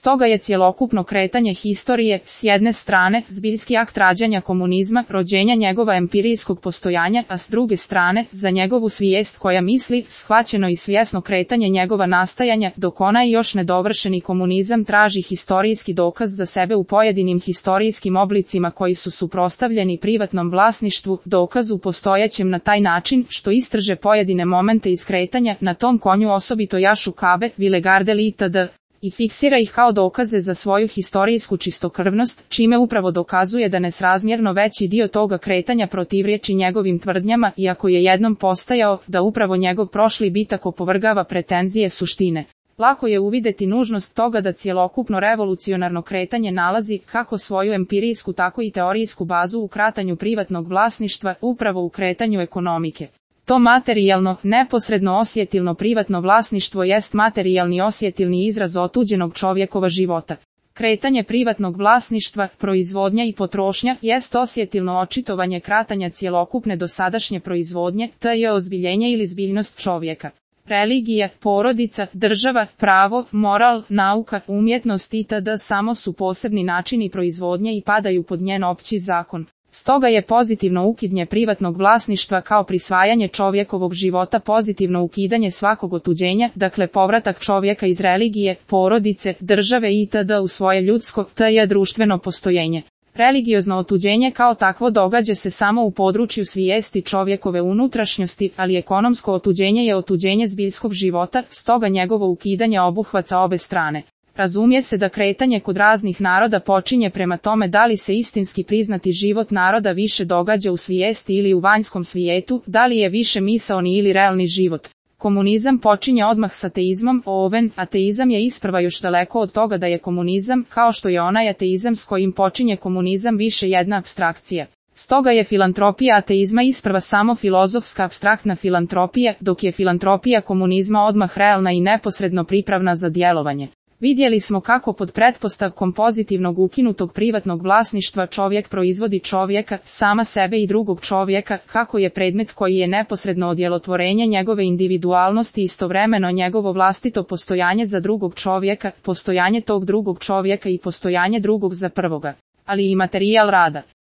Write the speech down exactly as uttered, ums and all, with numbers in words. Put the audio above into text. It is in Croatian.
Stoga je cjelokupno kretanje historije, s jedne strane, zbiljski akt rađanja komunizma, rođenja njegova empirijskog postojanja, a s druge strane, za njegovu svijest koja misli, shvaćeno i svjesno kretanje njegova nastajanja, dok onaj još nedovršeni komunizam traži historijski dokaz za sebe u pojedinim historijskim oblicima koji su suprotstavljeni privatnom vlasništvu, dokazu postojećem na taj način, što istrže pojedine momente iz kretanja, na tom konju osobito jašu Kabe, Vilegardel itd., i fiksira ih kao dokaze za svoju historijsku čistokrvnost, čime upravo dokazuje da nesrazmjerno veći dio toga kretanja protivriječi njegovim tvrdnjama, iako je jednom postajao, da upravo njegov prošli bitak opovrgava pretenzije suštine. Lako je uvidjeti nužnost toga da cjelokupno revolucionarno kretanje nalazi, kako svoju empirijsku tako i teorijsku bazu u kratanju privatnog vlasništva, upravo u kretanju ekonomike. To materijalno, neposredno osjetilno privatno vlasništvo jest materijalni osjetilni izraz otuđenog čovjekova života. Kretanje privatnog vlasništva, proizvodnja i potrošnja, jest osjetilno očitovanje kratanja cjelokupne dosadašnje proizvodnje, te je ozbiljenje ili zbiljnost čovjeka. Religija, porodica, država, pravo, moral, nauka, umjetnost itd. Samo su posebni načini proizvodnje i padaju pod njen opći zakon. Stoga je pozitivno ukidanje privatnog vlasništva kao prisvajanje čovjekovog života pozitivno ukidanje svakog otuđenja, dakle povratak čovjeka iz religije, porodice, države itd. U svoje ljudsko, te je društveno postojenje. Religiozno otuđenje kao takvo događa se samo u području svijesti čovjekove unutrašnjosti, ali ekonomsko otuđenje je otuđenje zbiljskog života, stoga njegovo ukidanje obuhvaća obe strane. Razumije se da kretanje kod raznih naroda počinje prema tome da li se istinski priznati život naroda više događa u svijesti ili u vanjskom svijetu, da li je više misaoni ili realni život. Komunizam počinje odmah s ateizmom, oven, ateizam je isprva još daleko od toga da je komunizam, kao što je onaj ateizam s kojim počinje komunizam više jedna apstrakcija. Stoga je filantropija ateizma isprva samo filozofska apstraktna filantropija, dok je filantropija komunizma odmah realna i neposredno pripravna za djelovanje. Vidjeli smo kako pod pretpostavkom pozitivnog ukinutog privatnog vlasništva čovjek proizvodi čovjeka, sama sebe i drugog čovjeka, kako je predmet koji je neposredno odjelotvorenje njegove individualnosti istovremeno njegovo vlastito postojanje za drugog čovjeka, postojanje tog drugog čovjeka i postojanje drugog za prvoga, ali i materijal rada.